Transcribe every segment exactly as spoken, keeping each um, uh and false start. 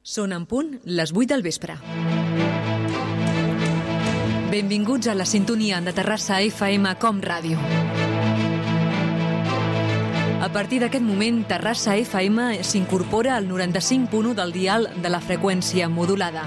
Són en punt les vuit del vespre. Benvinguts a la sintonia de Terrassa F M Com Ràdio. A partir d'aquest moment, Terrassa F M s'incorpora al noranta-cinc punt u del dial de la freqüència modulada.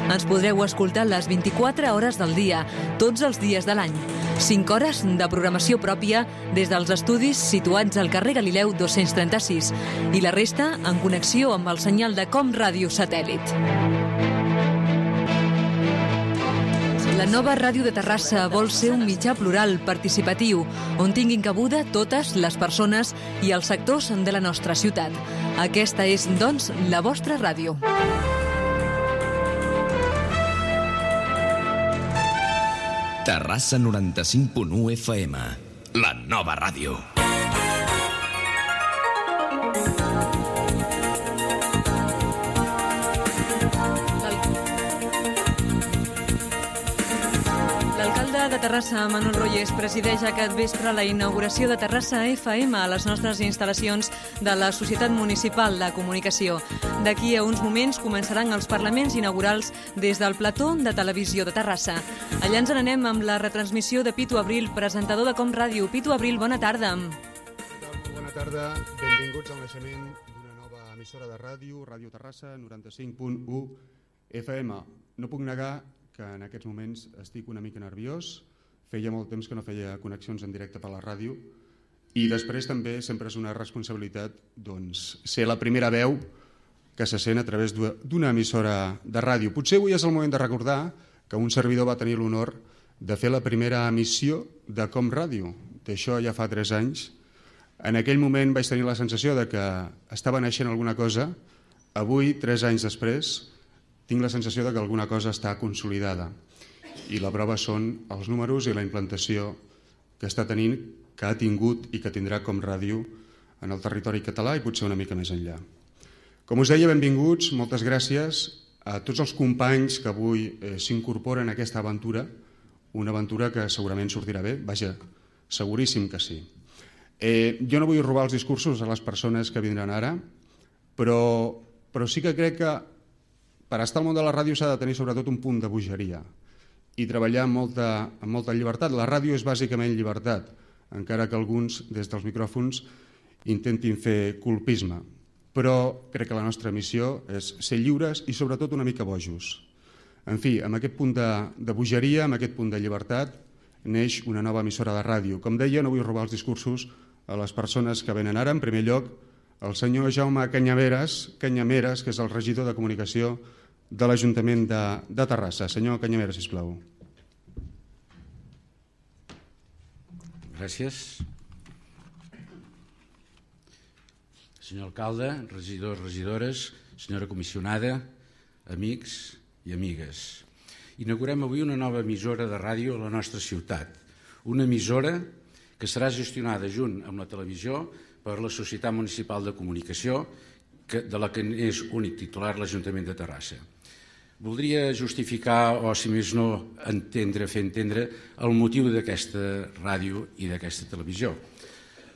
Ens podreu escoltar les vint-i-quatre hores del dia, tots els dies de l'any. cinc hores de programació pròpia des dels estudis situats al carrer Galileu dos-cents trenta-sis i la resta en connexió amb el senyal de Com Ràdio Satèl·lit. La nova ràdio de Terrassa vol ser un mitjà plural, participatiu, on tinguin cabuda totes les persones i els sectors de la nostra ciutat. Aquesta és, doncs, la vostra ràdio. Terrassa noranta-cinc punt u F M, la nova ràdio. L'alcalde de Terrassa, Manuel Royes, presideix aquest vespre la inauguració de Terrassa F M a les nostres instal·lacions de la Societat Municipal de Comunicació. D'aquí a uns moments començaran els parlaments inaugurals des del plató de televisió de Terrassa. Allà ens n'anem amb la retransmissió de Pitu Abril, presentador de Com Ràdio. Pitu Abril, bona tarda. Molt bona tarda, benvinguts al naixement d'una nova emissora de ràdio, Ràdio Terrassa, noranta-cinc punt u F M. No puc negar que en aquests moments estic una mica nerviós, feia molt temps que no feia connexions en directe per la ràdio i després també sempre és una responsabilitat doncs, ser la primera veu que se sent a través d'una emissora de ràdio. Potser avui és el moment de recordar que un servidor va tenir l'honor de fer la primera emissió de Com Ràdio. D'això ja fa tres anys. En aquell moment vaig tenir la sensació de que estava naixent alguna cosa. Avui, tres anys després, tinc la sensació de que alguna cosa està consolidada. I la prova són els números i la implantació que està tenint, que ha tingut i que tindrà Com Ràdio en el territori català i potser una mica més enllà. Com us deia, benvinguts, moltes gràcies a tots els companys que avui eh, s'incorporen a aquesta aventura, una aventura que segurament sortirà bé, vaja, seguríssim que sí. Eh, jo no vull robar els discursos a les persones que vindran ara, però, però sí que crec que per estar al món de la ràdio s'ha de tenir sobretot un punt de bogeria i treballar amb molta, amb molta llibertat. La ràdio és bàsicament llibertat, encara que alguns des dels micròfons intentin fer colpisme. Però crec que la nostra missió és ser lliures i sobretot una mica bojos. En fi, amb aquest punt de, de bogeria, amb aquest punt de llibertat, neix una nova emissora de ràdio. Com deia, no vull robar els discursos a les persones que venen ara. En primer lloc, el senyor Jaume Canyameres, Canyameres, que és el regidor de Comunicació de l'Ajuntament de, de Terrassa. Senyor Canyameres, sisplau. Gràcies. Senyor alcalde, regidors, regidores, senyora comissionada, amics i amigues. Inaugurem avui una nova emissora de ràdio a la nostra ciutat. Una emissora que serà gestionada junt amb la televisió per la Societat Municipal de Comunicació, de la que és únic titular l'Ajuntament de Terrassa. Voldria justificar, o si més no, entendre, fer entendre el motiu d'aquesta ràdio i d'aquesta televisió.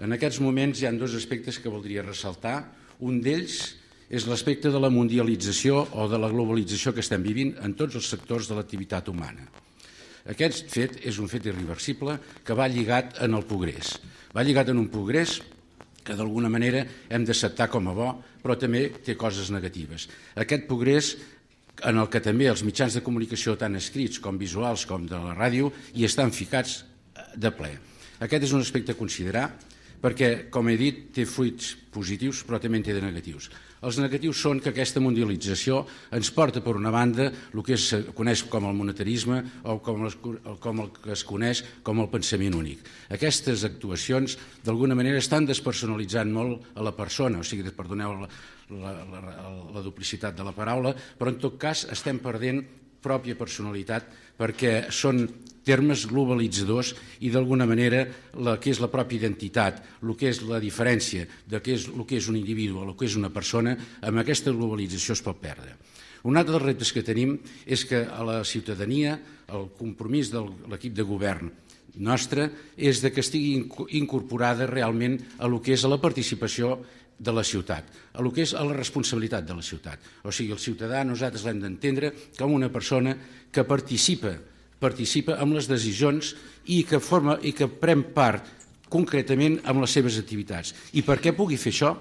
En aquests moments hi ha dos aspectes que voldria ressaltar. Un d'ells és l'aspecte de la mundialització o de la globalització que estem vivint en tots els sectors de l'activitat humana. Aquest fet és un fet irreversible que va lligat en el progrés. Va lligat en un progrés que d'alguna manera hem d'acceptar com a bo, però també té coses negatives. Aquest progrés en el que també els mitjans de comunicació tant escrits com visuals com de la ràdio hi estan ficats de ple. Aquest és un aspecte a considerar perquè, com he dit, té fruits positius però també en té de negatius. Els negatius són que aquesta mundialització ens porta, per una banda, el que es coneix com el monetarisme o com el que es coneix com el pensament únic. Aquestes actuacions, d'alguna manera, estan despersonalitzant molt a la persona, o sigui, perdoneu la, la, la, la duplicitat de la paraula, però en tot cas estem perdent pròpia personalitat perquè són termes globalitzadors i d'alguna manera el que és la pròpia identitat, el que és la diferència de què és, el que és un individu o el que és una persona, amb aquesta globalització es pot perdre. Un altre dels reptes que tenim és que a la ciutadania el compromís de l'equip de govern nostre és de que estigui incorporada realment a lo que és la participació de la ciutat, a el que és a la responsabilitat de la ciutat. O sigui, el ciutadà nosaltres l'hem d'entendre com una persona que participa, participa amb les decisions i que, forma, i que pren part concretament amb les seves activitats. I perquè pugui fer això,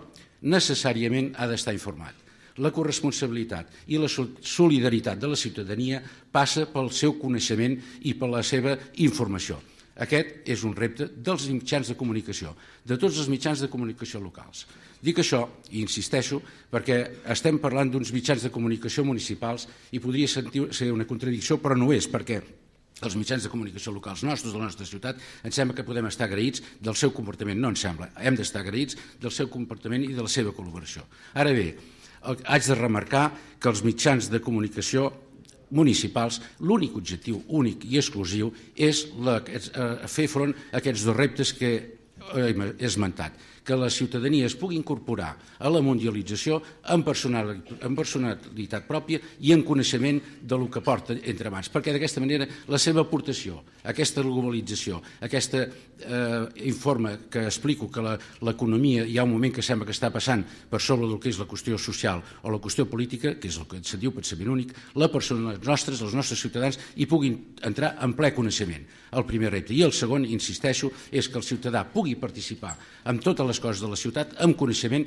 necessàriament ha d'estar informat. La corresponsabilitat i la solidaritat de la ciutadania passa pel seu coneixement i per la seva informació. Aquest és un repte dels mitjans de comunicació, de tots els mitjans de comunicació locals. Dic això, i insisteixo, perquè estem parlant d'uns mitjans de comunicació municipals i podria ser una contradicció, però no és, perquè els mitjans de comunicació locals nostres, de la nostra ciutat, ens sembla que podem estar agraïts del seu comportament. No ens sembla, hem d'estar agraïts del seu comportament i de la seva col·laboració. Ara bé, haig de remarcar que els mitjans de comunicació municipals, l'únic objectiu únic i exclusiu és fer front a aquests dos reptes que he esmentat, que la ciutadania es pugui incorporar a la mundialització amb personalitat pròpia i en coneixement del que porta entre mans, perquè d'aquesta manera la seva aportació, aquesta globalització, aquest informe que explico que l'economia hi ha un moment que sembla que està passant per sobre del que és la qüestió social o la qüestió política, que és el que se'n diu pensament únic, la persona nostres, els nostres ciutadans hi puguin entrar en ple coneixement. El primer repte. I el segon, insisteixo, és que el ciutadà pugui participar en totes les coses de la ciutat amb coneixement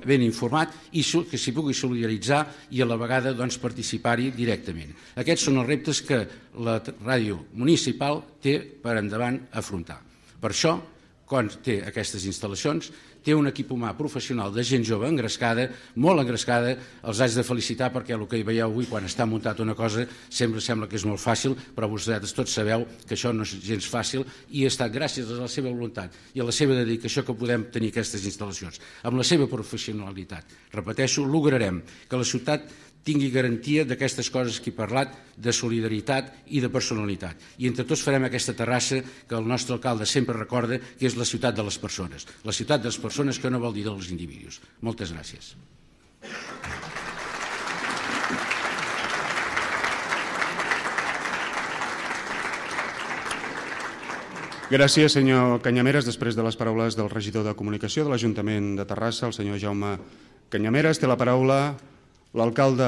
ben informat i que s'hi pugui solidaritzar i a la vegada participar-hi directament. Aquests són els reptes que la ràdio municipal té per endavant afrontar. Per això, quan té aquestes instal·lacions, té un equip humà professional de gent jove engrescada, molt engrescada, els haig de felicitar perquè el que hi veieu avui quan està muntat una cosa sempre sembla que és molt fàcil, però vosaltres tots sabeu que això no és gens fàcil i ha estat gràcies a la seva voluntat i a la seva dedicació que podem tenir aquestes instal·lacions. Amb la seva professionalitat, repeteixo, lograrem que la ciutat tingui garantia d'aquestes coses que he parlat, de solidaritat i de personalitat. I entre tots farem aquesta Terrassa que el nostre alcalde sempre recorda que és la ciutat de les persones. La ciutat de les persones que no vol dir dels individus. Moltes gràcies. Gràcies, senyor Canyameres. Després de les paraules del regidor de Comunicació de l'Ajuntament de Terrassa, el senyor Jaume Canyameres, té la paraula l'alcalde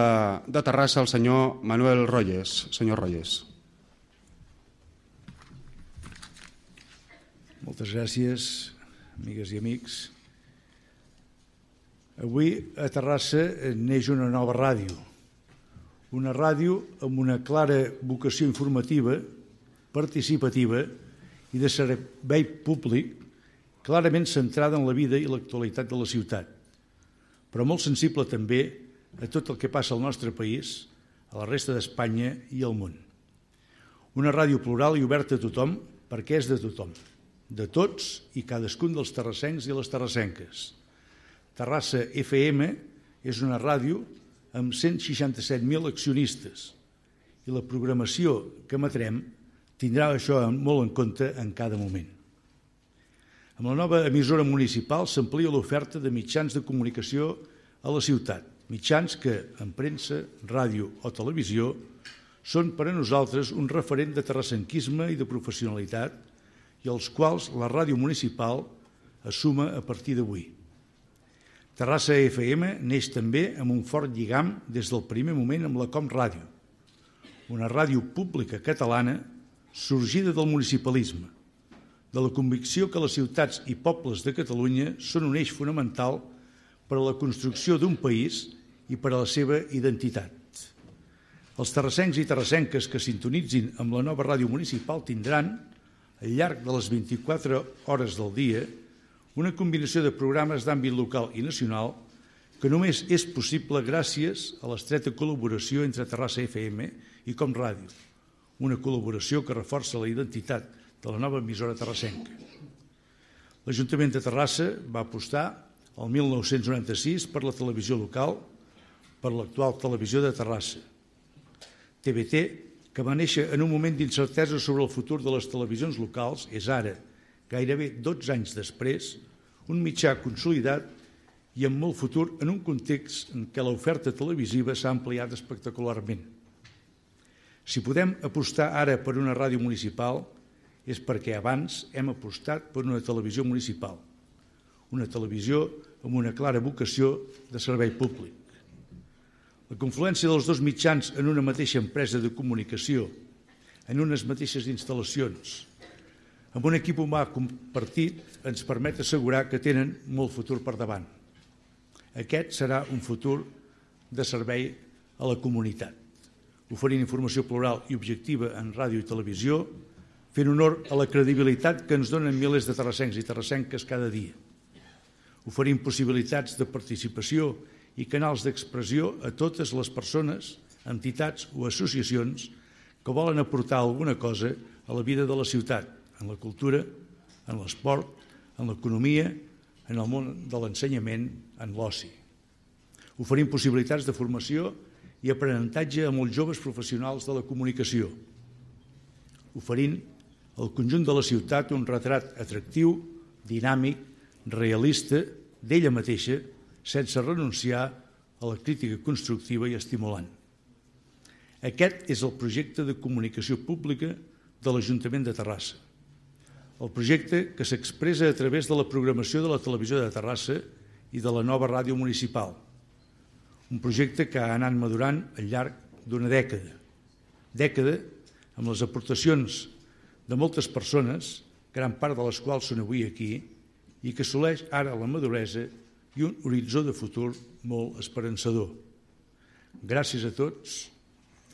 de Terrassa, el senyor Manuel Royes. Senyor Royes. Moltes gràcies, amigues i amics. Avui a Terrassa neix una nova ràdio. Una ràdio amb una clara vocació informativa, participativa i de servei públic, clarament centrada en la vida i l'actualitat de la ciutat, però molt sensible també a tot el que passa al nostre país, a la resta d'Espanya i al món. Una ràdio plural i oberta a tothom perquè és de tothom, de tots i cadascun dels terrassencs i les terrassenques. Terrassa F M és una ràdio amb cent seixanta-set mil accionistes i la programació que emetrem tindrà això molt en compte en cada moment. Amb la nova emissora municipal s'amplia l'oferta de mitjans de comunicació a la ciutat, mitjans que, en premsa, ràdio o televisió, són per a nosaltres un referent de terrassenquisme i de professionalitat i els quals la ràdio municipal assuma a partir d'avui. Terrassa F M neix també amb un fort lligam des del primer moment amb la Com Ràdio, una ràdio pública catalana sorgida del municipalisme, de la convicció que les ciutats i pobles de Catalunya són un eix fonamental per a la construcció d'un país i per a la seva identitat. Els terrassencs i terrassenques que sintonitzin amb la nova ràdio municipal tindran, al llarg de les vint-i-quatre hores del dia, una combinació de programes d'àmbit local i nacional que només és possible gràcies a l'estreta col·laboració entre Terrassa F M i Com Ràdio, una col·laboració que reforça la identitat de la nova emissora terrassenca. L'Ajuntament de Terrassa va apostar el mil nou-cents noranta-sis per la televisió local, per l'actual televisió de Terrassa. T V T, que va néixer en un moment d'incertesa sobre el futur de les televisions locals, és ara, gairebé dotze anys després, un mitjà consolidat i amb molt futur en un context en què l'oferta televisiva s'ha ampliat espectacularment. Si podem apostar ara per una ràdio municipal és perquè abans hem apostat per una televisió municipal, una televisió amb una clara vocació de servei públic. La confluència dels dos mitjans en una mateixa empresa de comunicació, en unes mateixes instal·lacions, amb un equip humà compartit, ens permet assegurar que tenen molt futur per davant. Aquest serà un futur de servei a la comunitat, oferint informació plural i objectiva en ràdio i televisió, fent honor a la credibilitat que ens donen milers de terrassencs i terrassenques cada dia, oferint possibilitats de participació i canals d'expressió a totes les persones, entitats o associacions que volen aportar alguna cosa a la vida de la ciutat, en la cultura, en l'esport, en l'economia, en el món de l'ensenyament, en l'oci. Oferint possibilitats de formació i aprenentatge a molts joves professionals de la comunicació. Oferint al conjunt de la ciutat un retrat atractiu, dinàmic, realista, d'ella mateixa, sense renunciar a la crítica constructiva i estimulant. Aquest és el projecte de comunicació pública de l'Ajuntament de Terrassa. El projecte que s'expressa a través de la programació de la televisió de Terrassa i de la nova ràdio municipal. Un projecte que ha anat madurant al llarg d'una dècada. Dècada amb les aportacions de moltes persones, gran part de les quals són avui aquí, i que assoleix ara la maduresa i un horitzó de futur molt esperançador. Gràcies a tots,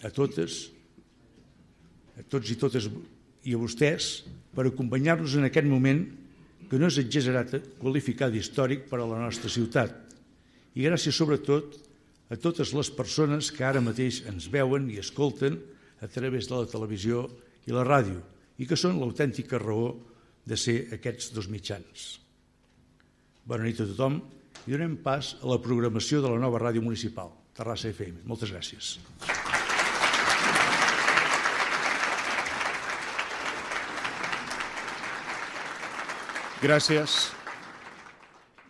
a totes, a tots i totes i a vostès per acompanyar-nos en aquest moment que no és exagerat qualificar d'històric per a la nostra ciutat. I gràcies sobretot a totes les persones que ara mateix ens veuen i escolten a través de la televisió i la ràdio i que són l'autèntica raó de ser aquests dos mitjans. Bona nit a tothom i donem pas a la programació de la nova ràdio municipal, Terrassa F M. Moltes gràcies. Gràcies.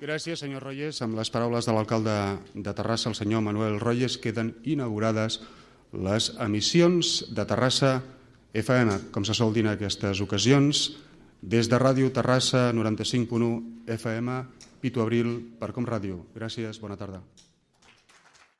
Gràcies, senyor Royes. Amb les paraules de l'alcalde de Terrassa, el senyor Manuel Royes, queden inaugurades les emissions de Terrassa F M, com se sol dir en aquestes ocasions, des de Ràdio Terrassa noranta-cinc punt u F M, Pitu Abril per Com Ràdio. Gràcies, bona tarda.